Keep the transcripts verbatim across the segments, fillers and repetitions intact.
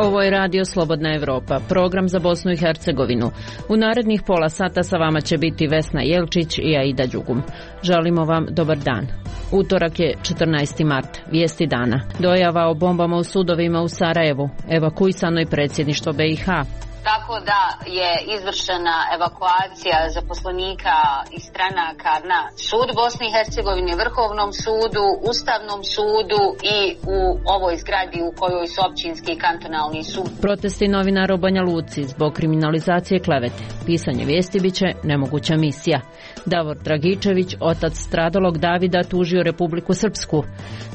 Ovo je Radio Slobodna Evropa, program za Bosnu i Hercegovinu. U narednih pola sata sa vama će biti Vesna Jelčić i Aida Đugum. Želimo vam dobar dan. Utorak je četrnaesti mart, vijesti dana. Dojava o bombama u sudovima u Sarajevu, evakuisano je predsjedništvo B i H. Tako da je izvršena evakuacija zaposlenika i stranaka na sud Bosne i Hercegovine, Vrhovnom sudu, Ustavnom sudu i u ovoj zgradi u kojoj su općinski i kantonalni sud. Protesti novinara u Banja Luci zbog kriminalizacije klevete. Pisanje vijesti biće nemoguća misija. Davor Dragičević, otac stradalog Davida, tužio Republiku Srpsku.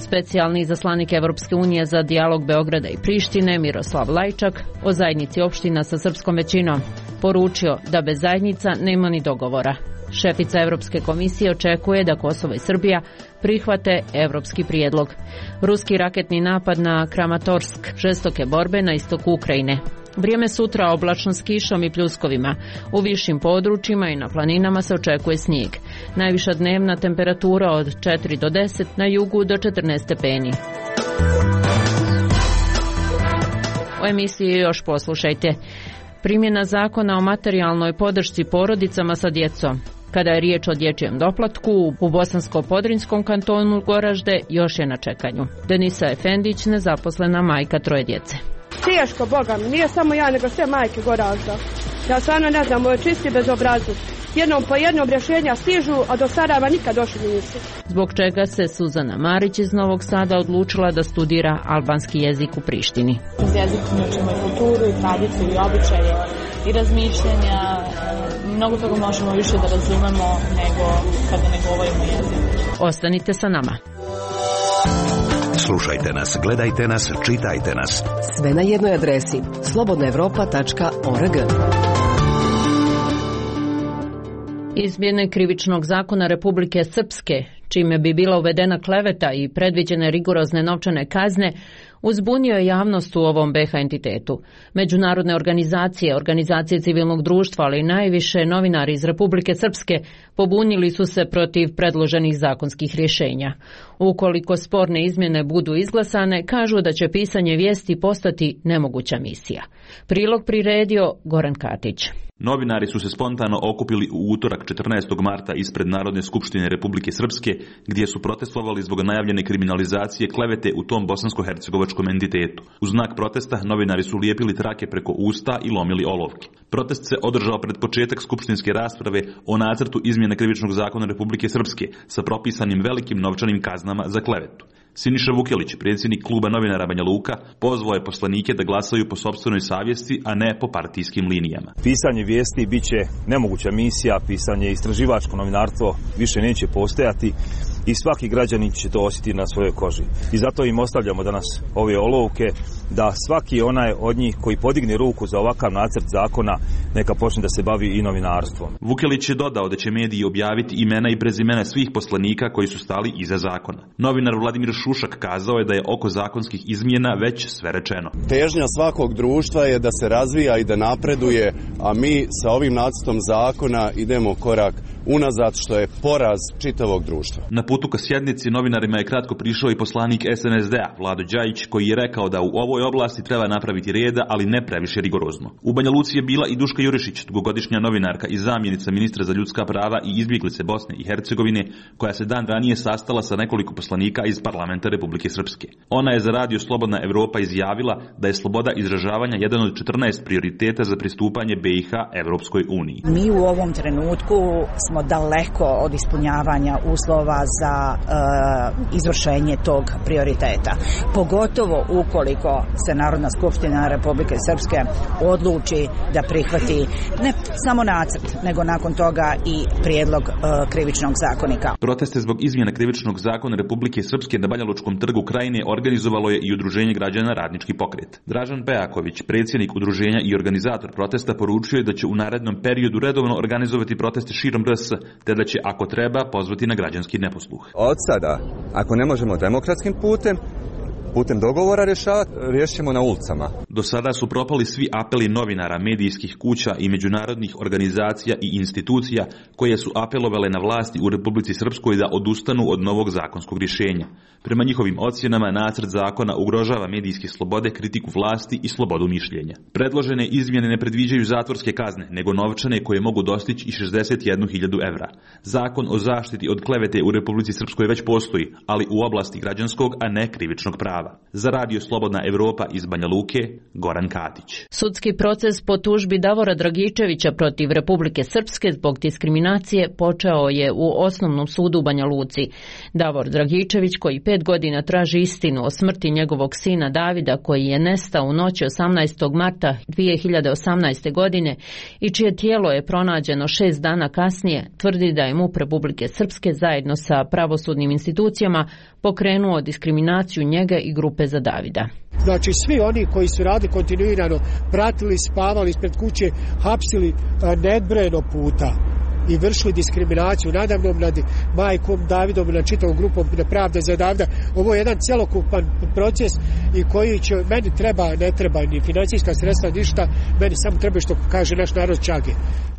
Specijalni izaslanik Evropske unije za dijalog Beograda i Prištine, Miroslav Lajčak, o zajednici opština sa srpskom većinom, poručio da bez zajednica nema ni dogovora. Šefica Europske komisije očekuje da Kosovo i Srbija prihvate evropski prijedlog. Ruski raketni napad na Kramatorsk, žestoke borbe na istoku Ukrajine. Vrijeme sutra oblačno s kišom i pljuskovima. U višim područjima i na planinama se očekuje snijeg. Najviša dnevna temperatura od četiri do deset, na jugu do četrnaest stepeni. U emisiji još poslušajte. Primjena zakona o materijalnoj podršci porodicama sa djecom. Kada je riječ o dječjem doplatku, u Bosansko-Podrinjskom kantonu Goražde još je na čekanju. Denisa Efendić, nezaposlena majka troje djece. Teško, Boga mi, nije samo ja, nego sve majke Goražda. Ja stvarno ne znam, ovo je čisti bezobrazluk. Jednom po jednom rješenja stižu, a do Sarajeva nikad došli nisu. Zbog čega se Suzana Marić iz Novog Sada odlučila da studira albanski jezik u Prištini. Uz jezik učimo i kulturu, i tradiciju, i običaje, i razmišljanja. Mnogo toga možemo više da razumemo nego kada ne govorimo jezik. Ostanite sa nama. Slušajte nas, gledajte nas, čitajte nas. Sve na jednoj adresi slobodna evropa tačka org. Izmjene Krivičnog zakona Republike Srpske, čime bi bila uvedena kleveta i predviđene rigorozne novčane kazne, uzbunio je javnost u ovom B H entitetu. Međunarodne organizacije, organizacije civilnog društva, ali i najviše novinari iz Republike Srpske pobunili su se protiv predloženih zakonskih rješenja. Ukoliko sporne izmjene budu izglasane, kažu da će pisanje vijesti postati nemoguća misija. Prilog priredio Goran Katić. Novinari su se spontano okupili u utorak četrnaestog marta ispred Narodne skupštine Republike Srpske, gdje su protestovali zbog najavljene kriminalizacije klevete u tom bosansko-hercegovačkom entitetu. U znak protesta novinari su lijepili trake preko usta i lomili olovke. Protest se održao pred početak skupštinske rasprave o nacrtu izmjene Krivičnog zakona Republike Srpske sa propisanim velikim novčanim kaznama za klevetu. Siniša Vukelić, predsjednik kluba novinara Banja Luka, pozvao je poslanike da glasaju po sopstvenoj savjesti, a ne po partijskim linijama. Pisanje vijesti bit će nemoguća misija, pisanje istraživačko novinarstvo više neće postojati i svaki građanin će to osjetiti na svojoj koži. I zato im ostavljamo danas ove olovke da svaki onaj od njih koji podigne ruku za ovakav nacrt zakona neka počne da se bavi i novinarstvom. Vukelić je dodao da će mediji objaviti imena i prezimena svih poslanika koji su stali iza zakona. Novinar Vladimir Šušak kazao je da je oko zakonskih izmjena već sve rečeno. Težnja svakog društva je da se razvija i da napreduje, a mi sa ovim nacrtom zakona idemo korak unazad, što je poraz čitavog društva. Na putu ka sjednici novinarima je kratko prišao i poslanik S N S D-a Vlado Đajić, koji je rekao da u ovoj oblasti treba napraviti reda, ali ne previše rigorozno. U Banja Luci je bila i Duška Jurišić, dugogodišnja novinarka i zamjenica ministra za ljudska prava i izbjeglice Bosne i Hercegovine, koja se dan ranije sastala sa nekoliko poslanika iz parlamenta Republike Srpske. Ona je za Radio Slobodna Evropa izjavila da je sloboda izražavanja jedan od četrnaest prioriteta za pristupanje B i H Evropskoj uniji. Mi u ovom trenutku smo daleko od ispunjavanja uslova za uh, izvršenje tog prioriteta. Pogotovo ukoliko se Narodna skupština Republike Srpske odluči da prihvati ne samo nacrt, nego nakon toga i prijedlog uh, Krivičnog zakonika. Proteste zbog izmjena Krivičnog zakona Republike Srpske na Banja Lučkom trgu Krajine organizovalo je i Udruženje građana Radnički pokret. Dražan Pejaković, predsjednik udruženja i organizator protesta, poručio je da će u narednom periodu redovno organizovati proteste širom R S, te da će, ako treba, pozvati na građanski neposluh. Od sada, ako ne možemo demokratskim putem, putem dogovora rješavati, riješit ćemo na ulicama. Do sada su propali svi apeli novinara, medijskih kuća i međunarodnih organizacija i institucija koje su apelovale na vlasti u Republici Srpskoj da odustanu od novog zakonskog rješenja. Prema njihovim ocjenama, nacrt zakona ugrožava medijske slobode, kritiku vlasti i slobodu mišljenja. Predložene izmjene ne predviđaju zatvorske kazne, nego novčane koje mogu dostići i šezdeset jednu hiljadu evra. Zakon o zaštiti od klevete u Republici Srpskoj već postoji, ali u oblasti građanskog, a ne krivičnog prava. Za Radio Slobodna Evropa iz Banja Luke, Goran Katić. Sudski proces po tužbi Davora Dragičevića protiv Republike Srpske zbog diskriminacije počeo je u Osnovnom sudu u Banja Luci. Davor Dragičević, koji pet godina traži istinu o smrti njegovog sina Davida, koji je nestao u noći osamnaestog marta dvije hiljade osamnaeste. godine i čije tijelo je pronađeno šest dana kasnije, tvrdi da je MUP Republike Srpske zajedno sa pravosudnim institucijama pokrenuo diskriminaciju njega i grupe za Davida. Znači svi oni koji su radili kontinuirano, pratili, spavali ispred kuće, hapsili nebrojeno puta i vršili diskriminaciju nadamnom nad majkom Davidom i nad čitavom grupom Nepravda za Davida. Ovo je jedan cjelokupan proces i koji će, meni treba, ne treba ni financijska sredstva, ništa, meni samo treba što kaže naš narod čage.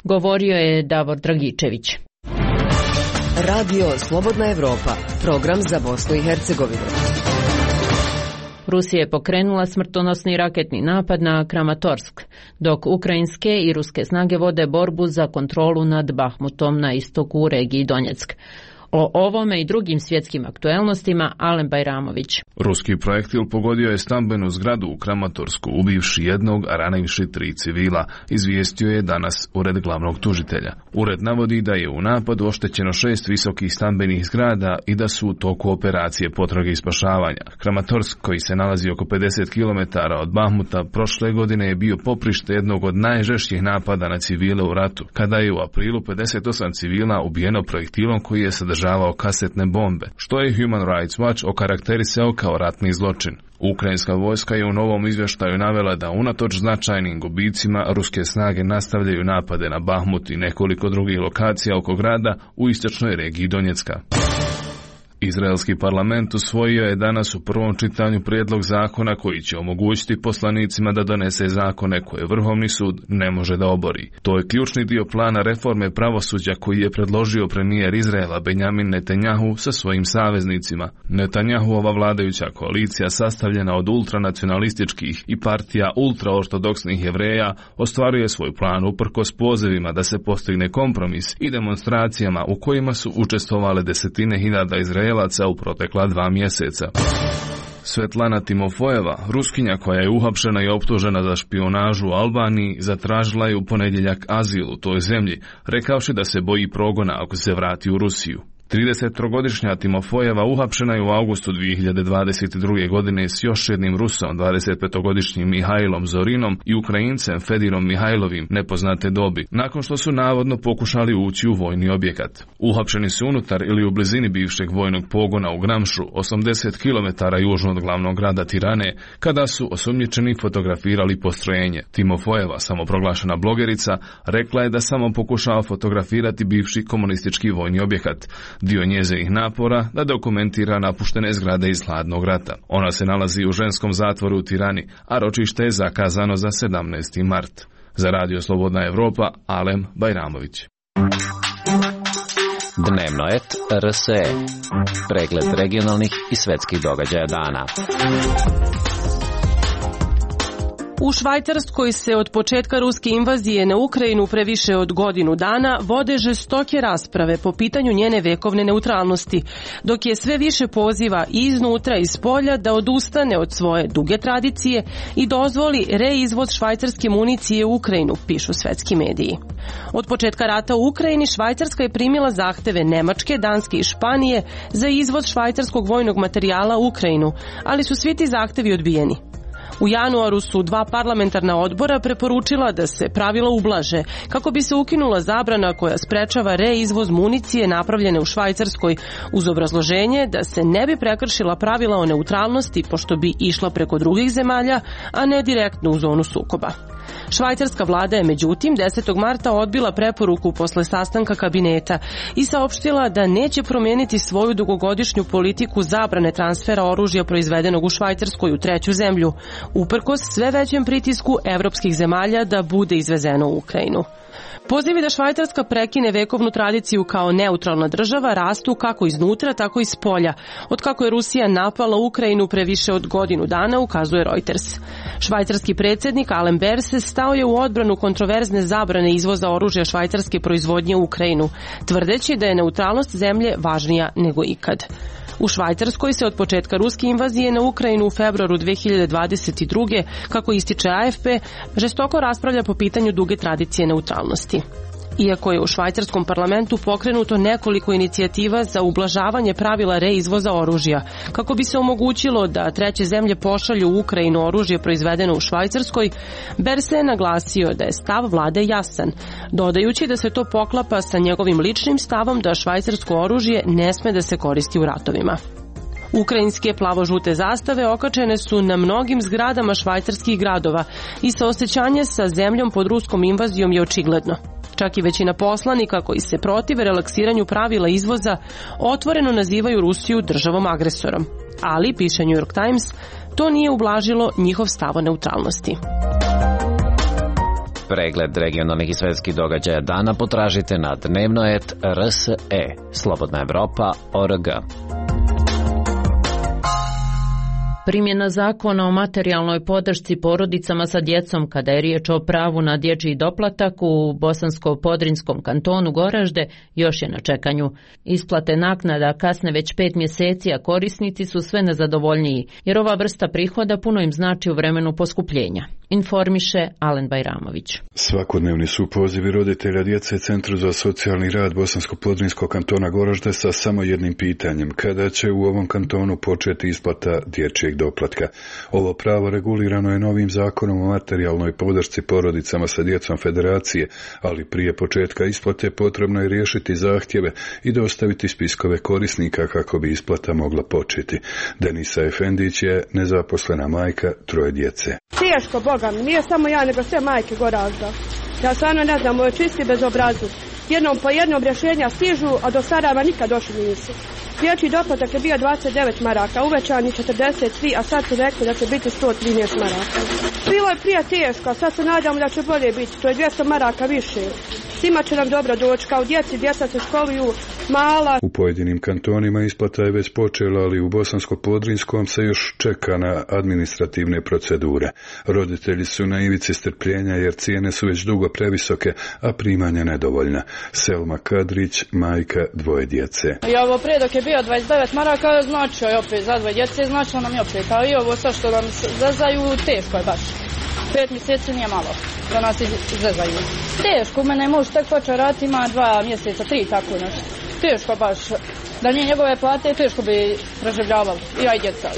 Govorio je Davor Dragičević. Radio Slobodna Evropa, program za Bosnu i Hercegovinu. Rusija je pokrenula smrtonosni raketni napad na Kramatorsk, dok ukrajinske i ruske snage vode borbu za kontrolu nad Bahmutom na istoku u regiji Donjeck. O ovome i drugim svjetskim aktuelnostima Alen Bajramović. Ruski projektil pogodio je stambenu zgradu u Kramatorsku, ubivši jednog, a ranivši tri civila, izvijestio je danas ured glavnog tužitelja. Ured navodi da je u napadu oštećeno šest visokih stambenih zgrada i da su u toku operacije potrage i spašavanja. Kramatorsk, koji se nalazi oko pedeset kilometara od Bahmuta, prošle godine je bio poprište jednog od najžešćih napada na civile u ratu, kada je u aprilu pedeset osam civila ubijeno projektilom koji je sadržavao kasetne bombe, što je Human Rights Watch okarakterisao kao ratni zločin. Ukrajinska vojska je u novom izvještaju navela da unatoč značajnim gubicima ruske snage nastavljaju napade na Bahmut i nekoliko drugih lokacija oko grada u istočnoj regiji Donjecka. Izraelski parlament usvojio je danas u prvom čitanju prijedlog zakona koji će omogućiti poslanicima da donese zakone koje Vrhovni sud ne može da obori. To je ključni dio plana reforme pravosuđa koji je predložio premijer Izraela Benjamin Netanjahu sa svojim saveznicima. Netanjahuova vladajuća koalicija, sastavljena od ultranacionalističkih i partija ultraortodoksnih Jevreja, ostvaruje svoj plan uprkos pozivima da se postigne kompromis i demonstracijama u kojima su učestvovale desetine hiljada Izraela u protekla dva mjeseca. Svetlana Timofojeva, Ruskinja koja je uhapšena i optužena za špijunažu u Albaniji, zatražila je u ponedjeljak azil u toj zemlji, rekavši da se boji progona ako se vrati u Rusiju. tridesettrogodišnja Timofojeva uhapšena je u avgustu dvije hiljade dvadeset druge. godine s još jednim Rusom, dvadesetpetogodišnjim Mihajlom Zorinom i Ukrajincem Fedirom Mihajlovim nepoznate dobi, nakon što su navodno pokušali ući u vojni objekat. Uhapšeni su unutar ili u blizini bivšeg vojnog pogona u Gramšu, osamdeset kilometara južno od glavnog grada Tirane, kada su osumnjičeni fotografirali postrojenje. Timofojeva, samoproglašena blogerica, rekla je da samo pokušava fotografirati bivši komunistički vojni objekat, dio njezinih napora da dokumentira napuštene zgrade iz hladnog rata. Ona se nalazi u ženskom zatvoru u Tirani, a ročište je zakazano za sedamnaesti mart. Za Radio Slobodna Evropa, Alem Bajramović. Dnevno et R S E. Pregled regionalnih i svetskih događaja dana. U Švajcarskoj se od početka ruske invazije na Ukrajinu pre više od godinu dana vode žestoke rasprave po pitanju njene vekovne neutralnosti, dok je sve više poziva i iznutra i spolja da odustane od svoje duge tradicije i dozvoli reizvoz švajcarske municije u Ukrajinu, pišu svetski mediji. Od početka rata u Ukrajini Švajcarska je primila zahteve Nemačke, Danske i Španije za izvoz švajcarskog vojnog materijala u Ukrajinu, ali su svi ti zahtevi odbijeni. U januaru su dva parlamentarna odbora preporučila da se pravila ublaže kako bi se ukinula zabrana koja sprečava reizvoz municije napravljene u Švajcarskoj uz obrazloženje da se ne bi prekršila pravila o neutralnosti pošto bi išla preko drugih zemalja, a ne direktno u zonu sukoba. Švajcarska vlada je međutim desetog marta odbila preporuku posle sastanka kabineta i saopštila da neće promijeniti svoju dugogodišnju politiku zabrane transfera oružja proizvedenog u Švajcarskoj u treću zemlju, uprkos sve većem pritisku evropskih zemalja da bude izvezeno u Ukrajinu. Pozivi da Švajcarska prekine vekovnu tradiciju kao neutralna država rastu kako iznutra, tako i s polja, od kako je Rusija napala Ukrajinu pre više od godinu dana, ukazuje Reuters. Švajcarski predsjednik Alain Berset stao je u odbranu kontroverzne zabrane izvoza oružja švajcarske proizvodnje u Ukrajinu, tvrdeći da je neutralnost zemlje važnija nego ikad. U Švajcarskoj se od početka ruske invazije na Ukrajinu u februaru dve hiljade dvadeset druge, kako ističe A F P, žestoko raspravlja po pitanju duge tradicije neutralnosti. Iako je u švajcarskom parlamentu pokrenuto nekoliko inicijativa za ublažavanje pravila reizvoza oružja, kako bi se omogućilo da treće zemlje pošalju u Ukrajinu oružje proizvedeno u Švajcarskoj, Berset je naglasio da je stav vlade jasan, dodajući da se to poklapa sa njegovim ličnim stavom da švajcarsko oružje ne sme da se koristi u ratovima. Ukrajinske plavo-žute zastave okačene su na mnogim zgradama švajcarskih gradova i saosećanje sa zemljom pod ruskom invazijom je očigledno. Čak i većina poslanika koji se protive relaksiranju pravila izvoza otvoreno nazivaju Rusiju državom agresorom. Ali, piše New York Times, to nije ublažilo njihov stav o neutralnosti. Pregled regionalnih i svetskih događaja dana potražite na dnevno et r s e, slobodna evropa tačka org. Primjena zakona o materijalnoj podršci porodicama sa djecom kada je riječ o pravu na dječji doplatak u Bosansko-Podrinjskom kantonu Goražde još je na čekanju. Isplate naknada kasne već pet mjeseci, a korisnici su sve nezadovoljniji, jer ova vrsta prihoda puno im znači u vremenu poskupljenja. Informiše Alen Bajramović. Svakodnevni su pozivi roditelja djece Centru za socijalni rad Bosansko-Podrinjskog kantona Goražde sa samo jednim pitanjem: kada će u ovom kantonu početi isplata dječjeg doplatka. Ovo pravo regulirano je novim zakonom o materijalnoj podršci porodicama sa djecom Federacije, ali prije početka isplate potrebno je riješiti zahtjeve i dostaviti spiskove korisnika kako bi isplata mogla početi. Denisa Efendić je nezaposlena majka troje djece. Teško, Boga mi, nije samo ja, nego sve majke Goražda. Ja stvarno ne znam, ovo je čisti bezobrazluk. Jednom po jednom rješenja stižu, a do Sarajeva nikad došli nisu. Dječji doplatak je bio dvadeset devet maraka, uvećani četrdeset tri, a sad su rekli da će biti sto trinaest maraka. Bilo je prije teško, a sad se nadamo da će bolje biti, to je dvjesto maraka više. Svima će nam dobro doći, kao djeci, djeca se školuju, mala. U pojedinim kantonima isplata je već počela, ali u Bosansko-Podrinjskom se još čeka na administrativne procedure. Roditelji su na ivici strpljenja jer cijene su već dugo previsoke, a primanja nedovoljna. Selma Kadrić, majka dvoje djece. I ovo prije dok je bio dvadeset devet maraka, značio je opet za dvoje djece, značilo nam je opet, a i ovo sad što nam zezaju, teško je baš. Pet mjeseci nije malo da nas izvezaju. Teško, u mene je muž tek počeo raditi, ima dva mjeseca, tri tako nešto. Teško baš. Da nije njegove plate, teško bi preživljavali. I ja i djeca.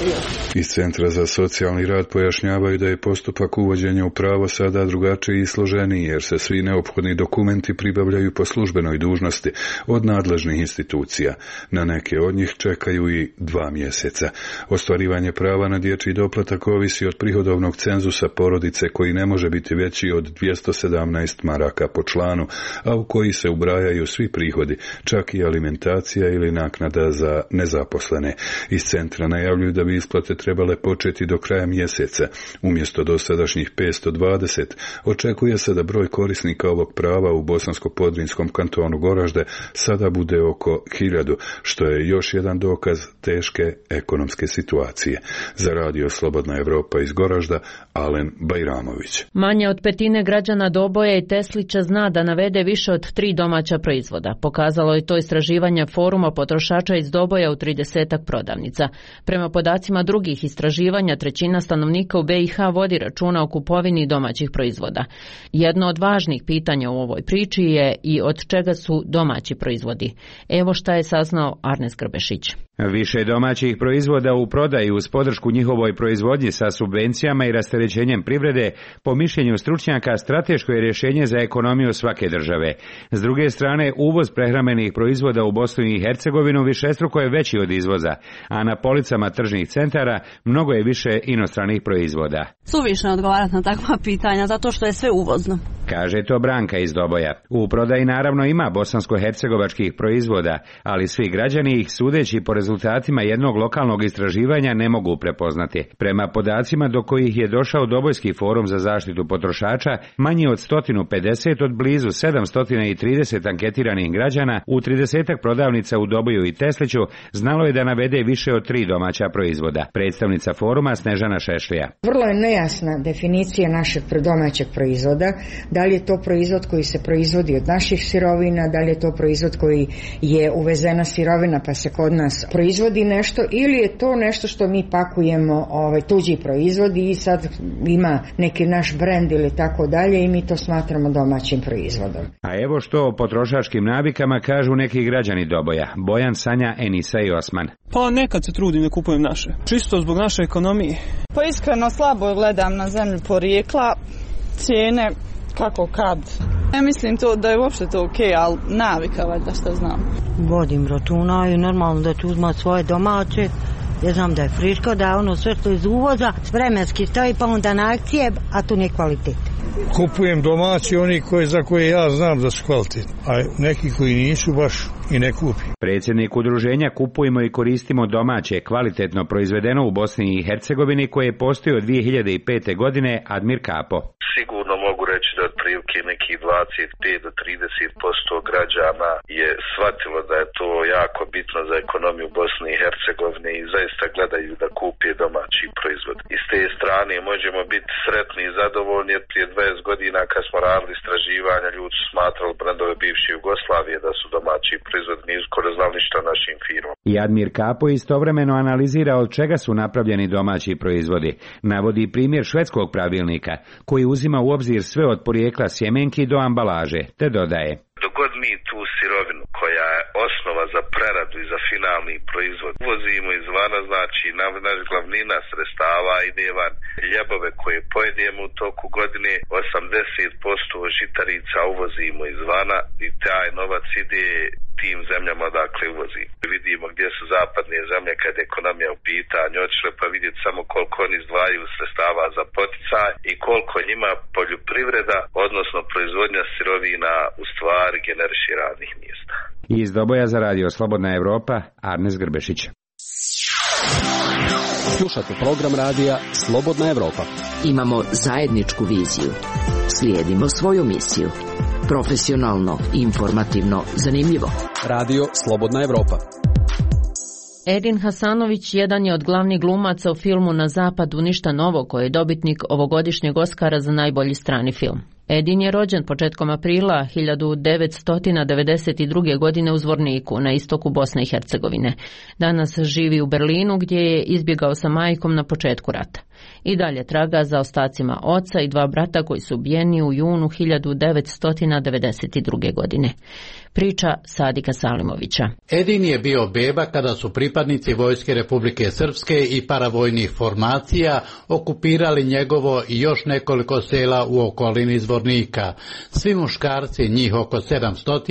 Iz Centra za socijalni rad pojašnjavaju da je postupak uvođenja u pravo sada drugačiji i složeniji, jer se svi neophodni dokumenti pribavljaju po službenoj dužnosti od nadležnih institucija. Na neke od njih čekaju i dva mjeseca. Ostvarivanje prava na dječji doplatak ovisi od prihodovnog cenzusa porodice koji ne može biti veći od dvjesto sedamnaest maraka po članu, a u koji se ubrajaju svi prihodi, čak i alimentacija ili naknada za nezaposlene. Iz centra najavljuju da bi isplate trebale početi do kraja mjeseca. Umjesto dosadašnjih petsto dvadeset, očekuje se da broj korisnika ovog prava u Bosansko-Podrinjskom kantonu Goražde sada bude oko hiljadu, što je još jedan dokaz teške ekonomske situacije. Za Radio Slobodna Evropa iz Goražda, Alen Bajramović. Manje od petine građana Doboja i Teslića zna da navede više od tri domaća proizvoda. Pokazalo je to istraživanje Foruma potrošača potrošača iz Doboja u tridesetak prodavnica. Prema podacima drugih istraživanja, trećina stanovnika u B i H vodi računa o kupovini domaćih proizvoda. Jedno od važnih pitanja u ovoj priči je i od čega su domaći proizvodi. Evo šta je saznao Arnes Grbešić. Više domaćih proizvoda u prodaji uz podršku njihovoj proizvodnji sa subvencijama i rasterećenjem privrede, po mišljenju stručnjaka, strateško je rješenje za ekonomiju svake države. S druge strane, uvoz prehrambenih proizvoda u Bosnu i Hercegovinu višestruko je veći od izvoza, a na policama tržnih centara mnogo je više inostranih proizvoda. Suvišno je odgovarati na takva pitanja, zato što je sve uvozno. Kaže to Branka iz Doboja. U prodaji naravno ima bosansko-hercegovačkih proizvoda, ali svi građani ih, sudeći po rezultatima jednog lokalnog istraživanja, ne mogu prepoznati. Prema podacima do kojih je došao Dobojski forum za zaštitu potrošača, manje od sto pedeset od blizu sedamsto trideset anketiranih građana u tridesetak prodavnica u Doboju i Tesliću znalo je da navede više od tri domaća proizvoda. Predstavnica foruma Snežana Šešlija. Vrlo je nejasna definicija našeg domaćeg proizvoda. Da li je to proizvod koji se proizvodi od naših sirovina, da li je to proizvod koji je uvezena sirovina pa se kod nas proizvodi nešto, ili je to nešto što mi pakujemo, ovaj, tuđi proizvodi i sad ima neki naš brend ili tako dalje i mi to smatramo domaćim proizvodom. A evo što o potrošačkim navikama kažu neki građani Doboja. Bojan, Sanja, Enisa i Osman. Pa nekad se trudim da kupujem naše. Čisto zbog naše ekonomije. Pa iskreno slabo gledam na zemlju porijekla, cijene kako kad. Ne mislim to da je uopšte to okej, okay, ali navika valjda što znam. Vodim računa i normalno da ću uzmat svoje domaće. Ja znam da je friško, da je ono sve što iz uvoza vremenski stoji pa onda na akcije, a tu nije kvalitet. Kupujem domaći, oni koji, za koje ja znam da su kvalitetni, a neki koji nisu baš i ne kupim. Predsjednik udruženja Kupujmo i koristimo domaće, kvalitetno proizvedeno u Bosni i Hercegovini, koje postoji od dvije hiljade pete. godine, Admir Kapo. Sigurno mogu reći da otprilike nekih dvadeset pet do trideset posto građana je shvatilo da je to jako bitno za ekonomiju Bosne i Hercegovine i zaista gledaju da kupe domaći proizvod. I s te strane možemo biti sretni i zadovoljni, jer prije dvadeset godina kad smo radili istraživanja, ljudi su smatrali brendove bivše Jugoslavije da su domaći proizvod, nisu skoro znali ništa o našim firmama. I Admir Kapo istovremeno analizira od čega su napravljeni domaći proizvodi. Navodi primjer švedskog pravilnika, koji uzima u obzir sve od porijekla sjemenki do ambalaže, te dodaje: Dok god mi tu sirovinu koja je osnova za preradu i za finalni proizvod uvozimo izvana, znači naš glavnina sredstava ide van. Ljebove koje pojedemo u toku godine, osamdeset posto žitarica uvozimo izvana i taj novac ide tim zemljama odakle uvozi. Vidimo gdje su zapadne zemlje kad je ekonomija u pitanju, otišle pa vidjeti samo koliko oni izdvajaju sredstava za poticaj i koliko njima poljoprivreda, odnosno proizvodnja sirovina, u stvari generiše radnih mjesta. Iz Doboja za radio Slobodna Evropa, Arnes Grbešić. Slušate program radija Slobodna Evropa. Imamo zajedničku viziju. Slijedimo svoju misiju. Profesionalno, informativno, zanimljivo. Radio Slobodna Evropa. Edin Hasanović jedan je od glavnih glumaca u filmu Na zapadu ništa novo, koji je dobitnik ovogodišnjeg Oskara za najbolji strani film. Edin je rođen početkom aprila hiljadu devetsto devedeset druge. godine u Zvorniku, na istoku Bosne i Hercegovine. Danas živi u Berlinu, gdje je izbjegao sa majkom na početku rata. I dalje traga za ostacima oca i dva brata koji su ubijeni u junu hiljadu devetsto devedeset druge. godine. Priča Sadika Salimovića. Edin je bio beba kada su pripadnici Vojske Republike Srpske i paravojnih formacija okupirali njegovo i još nekoliko sela u okolini Zvornika. Svi muškarci, njih oko sedamsto,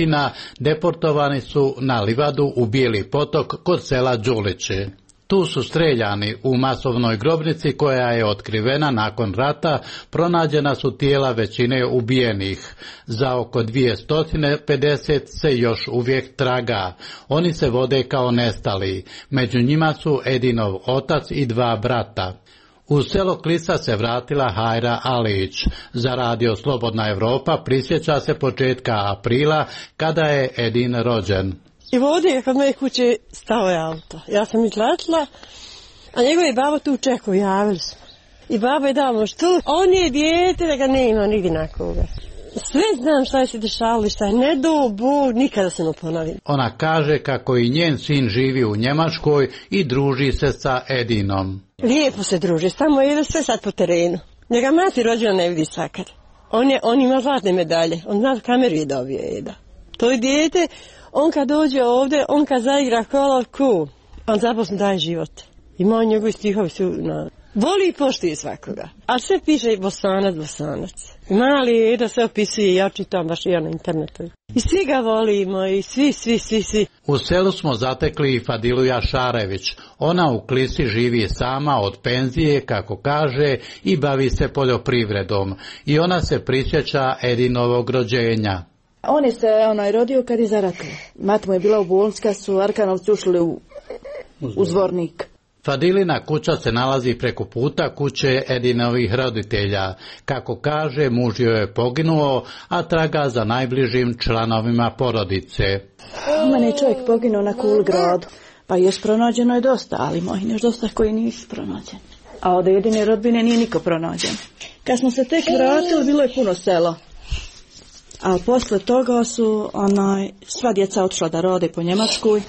deportovani su na livadu u Bijeli potok kod sela Đuliće. Tu su streljani u masovnoj grobnici koja je otkrivena nakon rata, pronađena su tijela većine ubijenih. Za oko dvjesto pedeset se još uvijek traga. Oni se vode kao nestali. Među njima su Edinov otac i dva brata. U selo Klisa se vratila Hajra Alić. Za radio Slobodna Evropa prisjeća se početka aprila kada je Edin rođen. I vode kod moje kuće stao je auto. Ja sam izletila, a njegovi babo tu čekao, javili smo. I babo je dao mu štul, on je dijete da ga nema nigdje na koga. Sve znam šta je se dešavalo, šta je ne do Bog, nikada se ne ponovim. Ona kaže kako i njen sin živi u Njemačkoj i druži se sa Edinom. Lijepo se druži, samo ide sve sad po terenu. Njega mati rođena ne vidi svakad. On, je, on ima zlatne medalje, on zna kameru je dobio Eda. To je dijete, on kad dođe ovdje, on kad zaigra kolovku, on zaposlen daje život. Ima on njegovi stihovi su na... Voli i poštuje svakoga. A sve piše Bosanac, Bosanac. Mali Eda sve opisuje, ja čitam baš i ja na internetu. I svi ga volimo, i svi, svi, svi, svi. U selu smo zatekli i Fadilu Jašarević. Ona u Klisi živi sama od penzije, kako kaže, i bavi se poljoprivredom. I ona se prisjeća Edinovog rođenja. On je se onaj rodio kad je zaratio. Mat mu je bila u bolnici kad su Arkanovci ušli u, u Zvornik. Fadilina kuća se nalazi preko puta kuće Edinovih roditelja. Kako kaže, muž joj je poginuo, a traga za najbližim članovima porodice. U mene je čovjek poginuo na Kulgradu, pa još pronađeno je dosta, ali mojih još dosta koji nisu pronađeni. A od Edine rodbine nije niko pronađen. Kad smo se tek vratili, bilo je puno selo. A posle toga su onaj, sva djeca otišla da rode po Njemačkoj,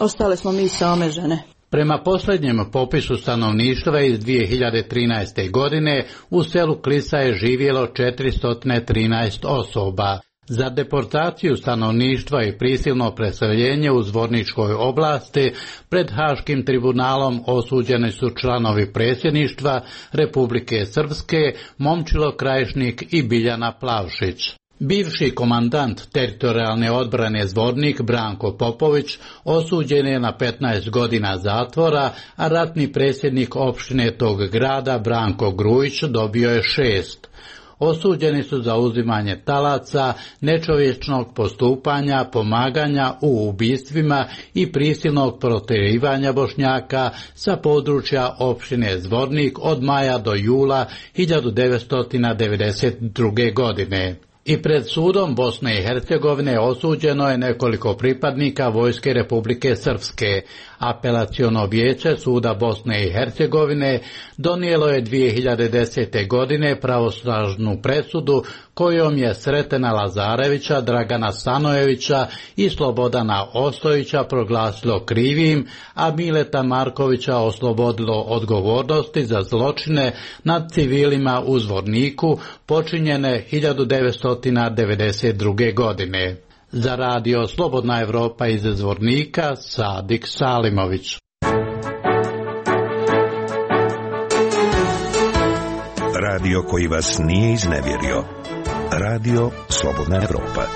ostale smo mi same žene. Prema posljednjem popisu stanovništva iz dvije hiljade trinaeste. godine u selu Klisa je živjelo četiristo trinaest osoba. Za deportaciju stanovništva i prisilno preseljenje u Zvorničkoj oblasti pred Haškim tribunalom osuđeni su članovi predsjedništva Republike Srpske, Momčilo Krajišnik i Biljana Plavšić. Bivši komandant teritorijalne odbrane Zvornik Branko Popović osuđen je na petnaest godina zatvora, a ratni predsjednik opštine tog grada Branko Grujić dobio je šest. Osuđeni su za uzimanje talaca, nečovječnog postupanja, pomaganja u ubistvima i prisilnog protjerivanja Bošnjaka sa područja opštine Zvornik od maja do jula hiljadu devetsto devedeset druge. godine. I pred sudom Bosne i Hercegovine osuđeno je nekoliko pripadnika Vojske Republike Srpske. Apelaciono vijeće suda Bosne i Hercegovine donijelo je dvije hiljade desete. godine pravosnažnu presudu kojom je Sretena Lazarevića, Dragana Stanojevića i Slobodana Ostojića proglasilo krivim, a Mileta Markovića oslobodilo odgovornosti za zločine nad civilima u Zvorniku počinjene hiljadu devetsto devedeset druge. godine. Za radio Slobodna Evropa iz Zvornika, Sadik Salimović. Radio koji vas nije iznevjerio. Radio Slobodna Evropa.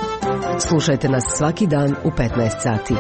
Slušajte nas svaki dan u petnaest sati.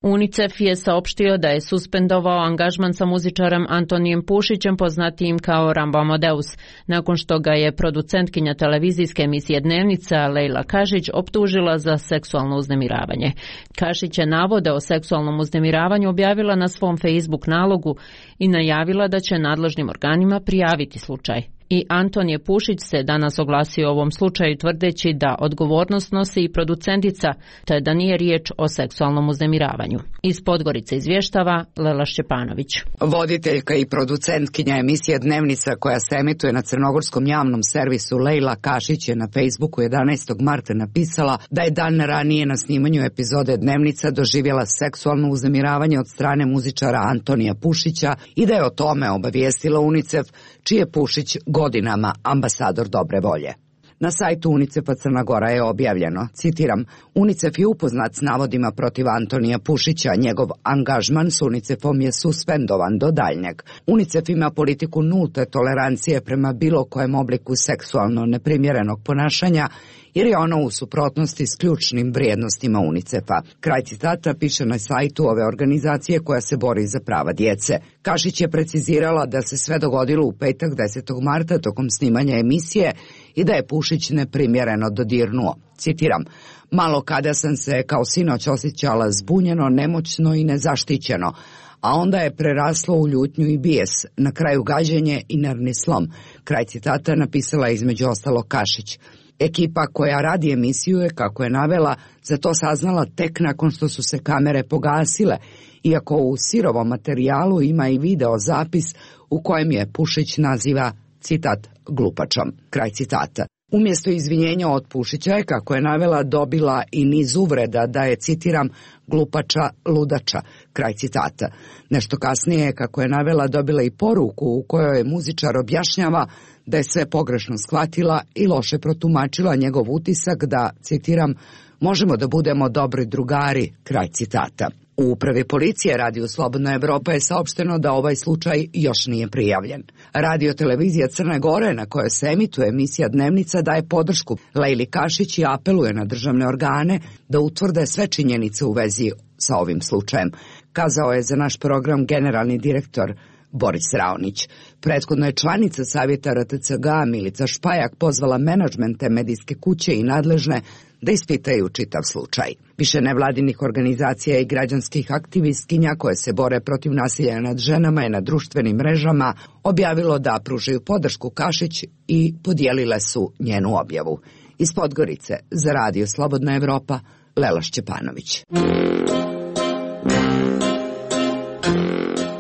UNICEF je saopštio da je suspendovao angažman sa muzičarem Antonijem Pušićem, poznatijim kao Rambo Amadeus, nakon što ga je producentkinja televizijske emisije Dnevnica Lejla Kašić optužila za seksualno uznemiravanje. Kašić je navode o seksualnom uznemiravanju objavila na svom Facebook nalogu i najavila da će nadležnim organima prijaviti slučaj. I Antonije Pušić se danas oglasio o ovom slučaju tvrdeći da odgovornost nosi i producentica, te da nije riječ o seksualnom uznemiravanju. Iz Podgorice izvještava Lela Šćepanović. Voditeljka i producentkinja emisije Dnevnica koja se emituje na crnogorskom javnom servisu Lejla Kašić je na Facebooku jedanaestog marta napisala da je dan ranije na snimanju epizode Dnevnica doživjela seksualno uznemiravanje od strane muzičara Antonija Pušića i da je o tome obavijestila UNICEF, čiji je Pušić godinama ambasador dobre volje. Na sajtu UNICEF-a Crna Gora je objavljeno, citiram, UNICEF je upoznat s navodima protiv Antonija Pušića, njegov angažman s UNICEF-om je suspendovan do daljnjeg. UNICEF ima politiku nulte tolerancije prema bilo kojem obliku seksualno neprimjerenog ponašanja, jer je ono u suprotnosti s ključnim vrijednostima UNICEF-a. Kraj citata piše na sajtu ove organizacije koja se bori za prava djece. Kašić je precizirala da se sve dogodilo u petak desetog marta tokom snimanja emisije i da je Pušić neprimjereno dodirnuo. Citiram, malo kada sam se kao sinoć osjećala zbunjeno, nemoćno i nezaštićeno, a onda je preraslo u ljutnju i bijes, na kraju gađenje i nervni slom. Kraj citata napisala između ostalo Kašić. Ekipa koja radi emisiju je, kako je navela, za to saznala tek nakon što su se kamere pogasile, iako u sirovom materijalu ima i video zapis u kojem je Pušić naziva citat, glupačom, kraj citata. Umjesto izvinjenja od Pušića je, kako je navela, dobila i niz uvreda da je, citiram, glupača, ludača, kraj citata. Nešto kasnije, kako je navela, dobila i poruku u kojoj muzičar objašnjava da je sve pogrešno shvatila i loše protumačila njegov utisak da, citiram, možemo da budemo dobri drugari, kraj citata. U upravi policije Radio Slobodna Evropa je saopšteno da ovaj slučaj još nije prijavljen. Radio televizija Crne Gore, na kojoj se emituje emisija Dnevnica, daje podršku Lejli Kašić i apeluje na državne organe da utvrde sve činjenice u vezi sa ovim slučajem, kazao je za naš program generalni direktor Boris Raonić. Prethodno je članica Savjeta R T C G Milica Špajak pozvala menadžmente medijske kuće i nadležne da ispitaju čitav slučaj. Više nevladinih organizacija i građanskih aktivistkinja koje se bore protiv nasilja nad ženama je na društvenim mrežama objavilo da pružaju podršku Kašić i podijelile su njenu objavu. Iz Podgorice za Radio Slobodna Evropa, Lela Šćepanović.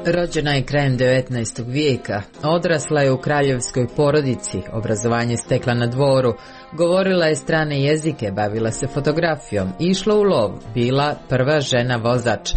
Rođena je krajem devetnaestog vijeka, odrasla je u kraljevskoj porodici, obrazovanje stekla na dvoru, govorila je strane jezike, bavila se fotografijom, išla u lov, bila prva žena vozač,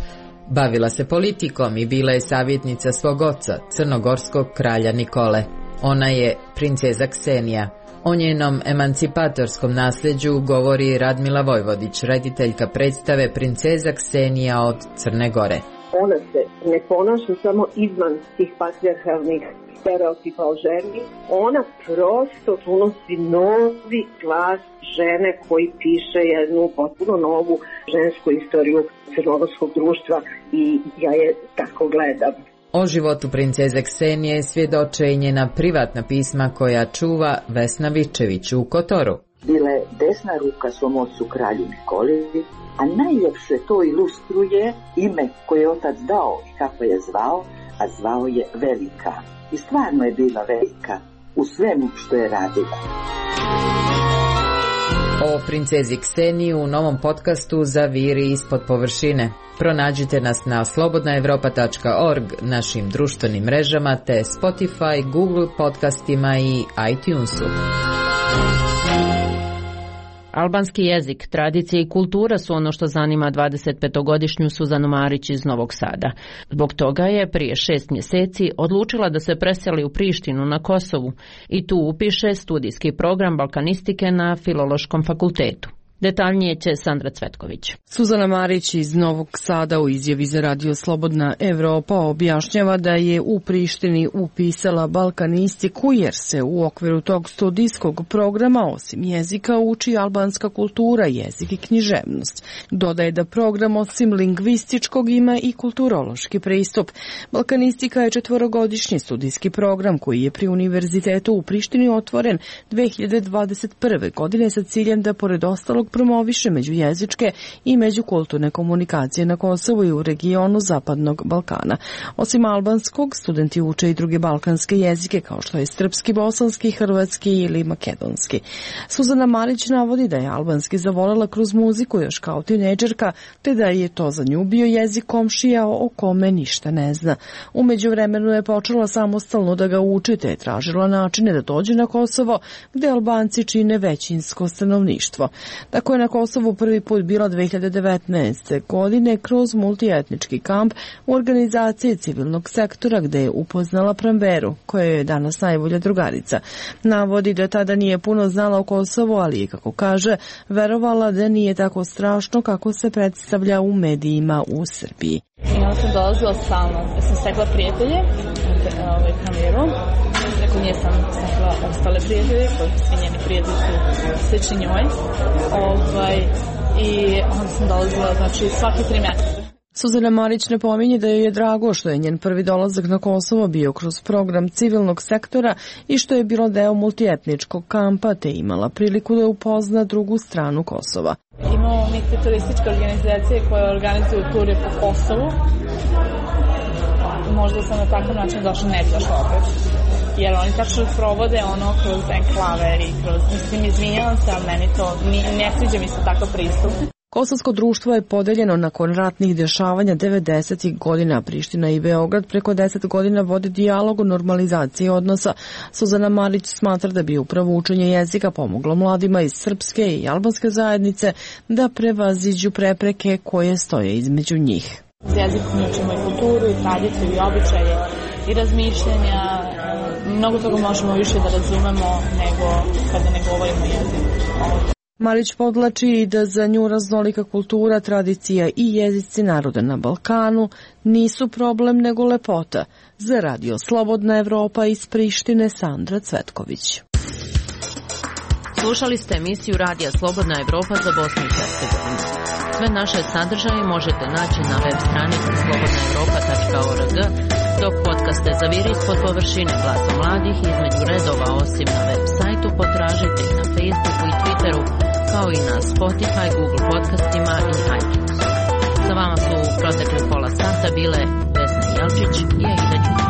bavila se politikom i bila je savjetnica svog oca, crnogorskog kralja Nikole. Ona je princeza Ksenija. O njenom emancipatorskom nasljeđu govori Radmila Vojvodić, rediteljka predstave Princeza Ksenija od Crne Gore. Ona se ne ponaša samo izvan tih patrijarhalnih stereotipa o ženi, ona prosto unosi novi glas žene koji piše jednu potpuno novu žensku istoriju crnogorskog društva i ja je tako gledam. O životu princeze Ksenije svjedoče i njena privatna pisma koja čuva Vesna Vičević u Kotoru. Bila je desna ruka svom ocu kralju Nikoli, a najljepše to ilustruje ime koje je otac dao i kako je zvao, a zvao je Velika. I stvarno je bila velika u svemu što je radila. O princezi Kseniji u novom podcastu Zaviri ispod površine. Pronađite nas na slobodna evropa tačka org, našim društvenim mrežama te Spotify, Google podcastima i iTunesu. Albanski jezik, tradicija i kultura su ono što zanima dvadesetpetogodišnju Suzanu Marić iz Novog Sada. Zbog toga je prije šest mjeseci odlučila da se preseli u Prištinu na Kosovu i tu upiše studijski program balkanistike na Filološkom fakultetu. Detaljnije će Sandra Cvetković. Suzana Marić iz Novog Sada u izjavi za Radio Slobodna Evropa objašnjava da je u Prištini upisala balkanistiku jer se u okviru tog studijskog programa osim jezika uči albanska kultura, jezik i književnost. Dodaje da program osim lingvističkog ima i kulturološki pristup. Balkanistika je četvorogodišnji studijski program koji je pri Univerzitetu u Prištini otvoren dve hiljade dvadeset prve. godine sa ciljem da pored ostalog promoviše međujezičke i međukulturne komunikacije na Kosovu i u regionu Zapadnog Balkana. Osim albanskog, studenti uče i druge balkanske jezike kao što je srpski, bosanski, hrvatski ili makedonski. Suzana Marić navodi da je albanski zavolela kroz muziku još kao tinejdžerka, te da je to za nju bio jezik komšija o kome ništa ne zna. U međuvremenu je počela samostalno da ga uči, te je tražila načine da dođe na Kosovo, gde Albanci čine većinsko stanovništvo. Tako je na Kosovu prvi put bila dve hiljade devetnaeste. godine kroz multietnički kamp u organizaciji civilnog sektora gde je upoznala Pramberu, koja je danas najbolja drugarica. Navodi da tada nije puno znala o Kosovu, ali je, kako kaže, verovala da nije tako strašno kako se predstavlja u medijima u Srbiji. I onda sam dolazila stalno, da sam stekla prijatelje, ovaj, Pramberu. Nakon nje sam stekla ostale prijatelje, koji svi njeni prijatelji su slični njoj. Ovaj, I onda sam dolazila, znači, svaki tri mjeseca. Suzana Marić napominje da joj je drago što je njen prvi dolazak na Kosovo bio kroz program civilnog sektora i što je bilo deo multietničkog kampa, te imala priliku da upozna drugu stranu Kosova. Imamo neke turističke organizacije koje organizuju ture po Kosovu. Možda sam na takav način došla, ne bi došla opet. Jer oni tačno provode ono kroz enklave i kroz, mislim, izvinjavam se, ali meni to, ne sviđa mi se takav pristup. Kosovsko društvo je podeljeno nakon ratnih dešavanja devedesetih godina. Priština i Beograd preko deset godina vode dijalog o normalizaciji odnosa. Suzana Marić smatra da bi upravo učenje jezika pomoglo mladima iz srpske i albanske zajednice da prevaziđu prepreke koje stoje između njih. S jezikom učimo i kulturu, i tradiciju, i običaje, i razmišljenja. Mnogo toga možemo više da razumemo nego kada ne govorimo jezik. Marić podlači i da za nju raznolika kultura, tradicija i jezici naroda na Balkanu nisu problem nego lepota. Za Radio Slobodna Evropa iz Prištine, Sandra Cvetković. Slušali ste emisiju Radija Slobodna Evropa za Bosnu i Hercegovinu. Sve naše sadržaje možete naći na web stranici slobodna evropa tačka org, dok podcaste za vir ispod površine Glasa mladih između redova osim na web sajtu potražite i na Facebooku i Twitteru, kao i na Spotify, Google podcastima i iTunesu. Sa vama su u protekle pola sata bile Vesna Jelčić i Aida Đurić.